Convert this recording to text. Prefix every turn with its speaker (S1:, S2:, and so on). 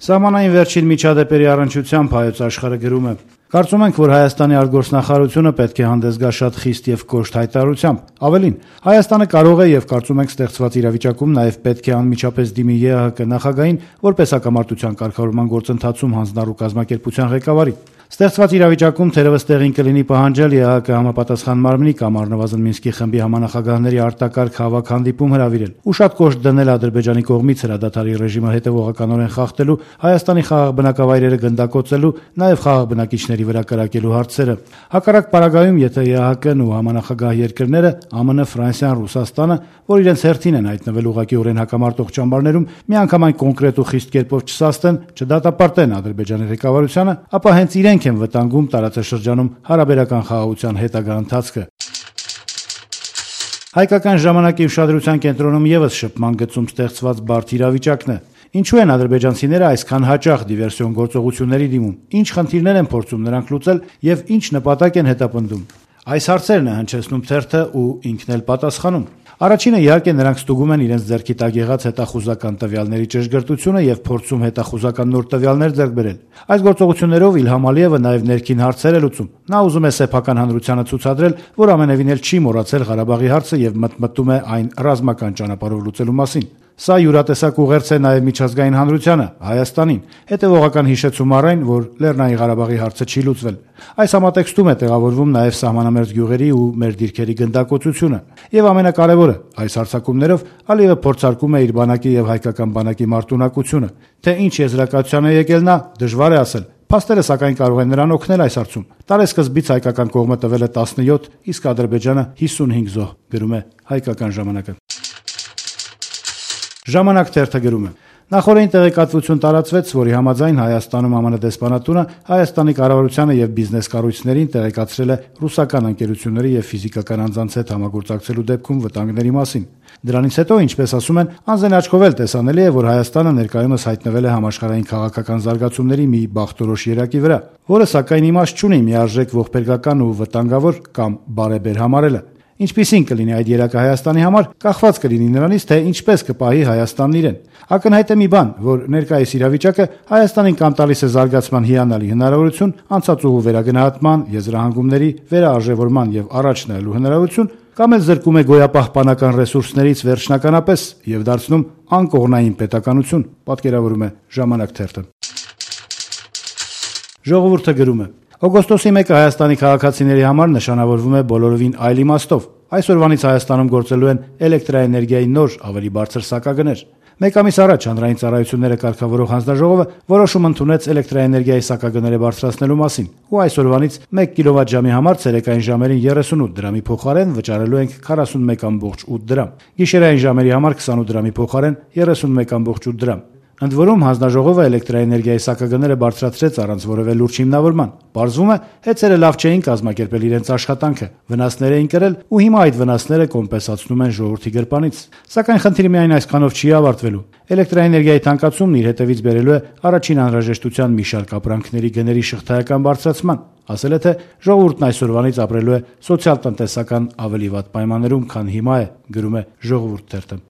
S1: Սահմանային վերջին միջադեպերի առնչությամբ Հայոց Աշխարհը գրում է. «Կարծում ենք, որ Հայաստանի արտգործնախարարությունը պետք է հանդես գա շատ խիստ եւ կոշտ հայտարարությամբ։ Ավելին, Հայաստանը կարող է եւ կարծում ենք ստեղծված իրավիճակում նաեւ պետք է անմիջապես դիմի ԵԱՀԿ նախագահին որպես հակամարտության կարգավորման գործընթացում հանձնառու կազմակերպության ղեկավարի։ Ստեղծված իրավիճակում թերևս տեղին կլինի պահանջել ԵԱՀԿ համապատասխան մարմնի կամ առնվազն Մինսկի խմբի համանախագահների արտակարգ հավաք հանդիպում հրավիրել ու շատ կոշտ դնել Ադրբեջանի կողմից հրադադարի ռեժիմը հետևողականորեն խախտելու, Հայաստանի խաղաղ բնակավայրերը գնդակոծելու, նաեւ խաղաղ բնակիչների վրա կրակելու հարցերը։ Հակառակ պարագայում, եթե ԵԱՀԿ-ն ու համանախագահ երկրները ԱՄՆ, Ֆրանսիան, Ռուսաստանը, որ իրենց հերթին են հայտնվել ուղղակիորեն հակամարտող ճամբարներում, միանգամայն կոնկրետ ու խիստ կերպով չսաստեն, չդատապարտեն Ադրբեջանի ղեկավարությանը, ապա հենց իրենք են վտանգում տարածաշրջանում հարաբերական խաղաղության հետագա ընթացքը»։ Հայկական ժամանակի ուշադրության կենտրոնում եւս շփման գծում ստեղծված բարդ իրավիճակն է։ Ինչու են ադրբեջանցիները այսքան հաճախ դիվերսիոն գործողությունների դիմում, ինչ խնդիրներ են փորձում նրանք լուծել եւ ինչ նպատակ են հետապնդում։ Այս հարցերն է հնչեցնում թերթը ու ինքն էլ պատասխանում։ Առաջինը իհարկե նրանք ստուգում են իրենց ձեռքի տակ եղած հետախուզական տվյալների ճշգրտությունը եւ փորձում հետախուզական նոր տվյալներ ձեռք բերել։ Այս գործողություններով Իլհամ Ալիևը նաեւ ներքին հարցեր է լուծում։ Նա ուզում է սեփական հանրությանը ցուցադրել, որ ամենևին էլ չի մոռացել Ղարաբաղի հարցը եւ մտմտում է այն ռազմական ճանապարհով լուծելու մասին։ Սա յուրատեսակ ուղերձ է նաև միջազգային հանրությանը, Հայաստանին, հետևողական հիշեցում առ այն, որ Լեռնային Ղարաբաղի հարցը չի լուծվել։ Այս համատեքստում է տեղավորվում նաև սահմանամերձ գյուղերի ու մեր դիրքերի գնդակոծությունը։ Եվ ամենակարևորը, այս հարձակումներով Ալիևը փորձարկում է իր բանակի եւ հայկական բանակի մարտունակությունը։ Թե ինչ եզրակացության է եկել նա, դժվար է ասել։ Փաստերը սակայն կարող են նրան օգնել այս հարցում։ Տարեսկզբից հայկական կողմը տվել է 17, իսկ Ադրբեջանը 55 զոհ, գրում է Հայկական ժամանակը։ Ժամանակ թերթը գրում է. Նախորդին տեղեկատվություն տարածվեց, որի համաձայն Հայաստանում ԱՄՆ դեսպանատունը Հայաստանի կառավարությանը եւ բիզնես կառույցներին տեղեկացրել է ռուսական ընկերությունների եւ ֆիզիկական անձանց հետ համագործակցելու դեպքում վտանգների մասին։ Դրանից հետո, ինչպես ասում են, անձեն աչքով էլ տեսանելի է, որ Հայաստանը ներկայումս հայտնվել է համաշխարհային քաղաքական զարգացումների մի բախտորոշ երակի վրա, որը սակայն իմաստ չունի միարժեք ողբերգական ու վտանգավոր կամ բարեբեր համարելը։ Ինչպիսին կլինի այդ երակը Հայաստանի համար, կախված կլինի նրանից, թե ինչպես կպահի Հայաստանն իրեն։ Ակնհայտ է մի բան, որ ներկայիս իրավիճակը Հայաստանին կամ տալիս է զարգացման հիանալի հնարավորություն, անցած ուղու վերագնահատման, եզրահանգումների վերաարժևորման եւ առաջ նայելու հնարավորություն, կամ էլ զրկում է գոյապահպանական ռեսուրսներից վերջնականապես եւ դարձնում անկողնային պետականություն, պատկերավորում է Ժամանակ թերթը։ Ժողովուրդը գրում է. Օգոստոսի 1-ը Հայաստանի քաղաքացիների համար նշանավորվում է բոլորովին այլ իմաստով։ Այսօրվանից Հայաստանում գործելու են էլեկտրաէներգիայի նոր, ավելի բարձր սակագներ։ Մեկ ամիս առաջ հանրային ծառայությունները կարգավորող հանձնաժողովը որոշում ընդունեց էլեկտրաէներգիայի սակագները բարձրացնելու մասին, ու այսօրվանից 1 կիլովատ-ժամի համար ցերեկային ժամերին 38 դրամի փոխարեն վճարելու ենք 41.8 դրամ, գիշերային ժամերի համար 28 դրամի փոխարեն 31.8 դրամ։ Ընդ որում հանձնաժողովը էլեկտրաէներգիայի սակագները բարձրացրեց առանց որևէ լուրջ հիմնավորման։ Պարզվում է, հեծերը լավ չէին կազմակերպել իրենց աշխատանքը, վնասներ էին կրել ու հիմա այդ վնասները կոմպենսացնում են ժողովրդի գրպանից։ Սակայն խնդիրը միայն այսքանով չի ավարտվելու։ Էլեկտրաէներգիայի թանկացումն իր հետևից բերելու է առաջին անհրաժեշտության մի շարք ապրանքների գների շղթայական բարձրացման։ Ասել է, թե ժողովուրդն այսօրվանից ապրելու է սոցիալ-տնտեսական ավելի վատ պայմաններում, քան հիմա է, գրում է Ժողովուրդ թերթը։